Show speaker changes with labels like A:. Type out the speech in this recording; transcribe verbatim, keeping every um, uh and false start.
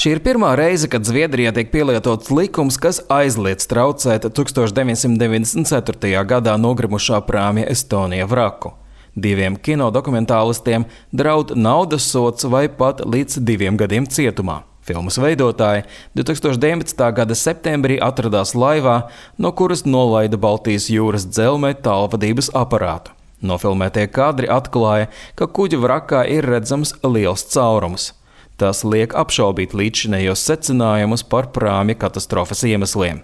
A: Šī ir pirmā reize, kad Zviedrijā tiek pielietots likums, kas aizliedz traucēt tuksstoš deviņsimt deviņdesmit ceturtajā gadā nogrimušā prāmja Estonia vraku. Diviem kinodokumentālistiem draud naudas sods vai pat līdz diviem gadiem cietumā. Filmas veidotāji divtūkstoš deviņpadsmitā gada septembrī atradās laivā, no kuras nolaida Baltijas jūras dzelzmē tālvadības aparātu. Nofilmētie kadri atklāja, ka kuģa vrakā ir redzams liels caurums. Tas liek apšaubīt līdzšinējos secinājumus par prāmja katastrofas iemesliem.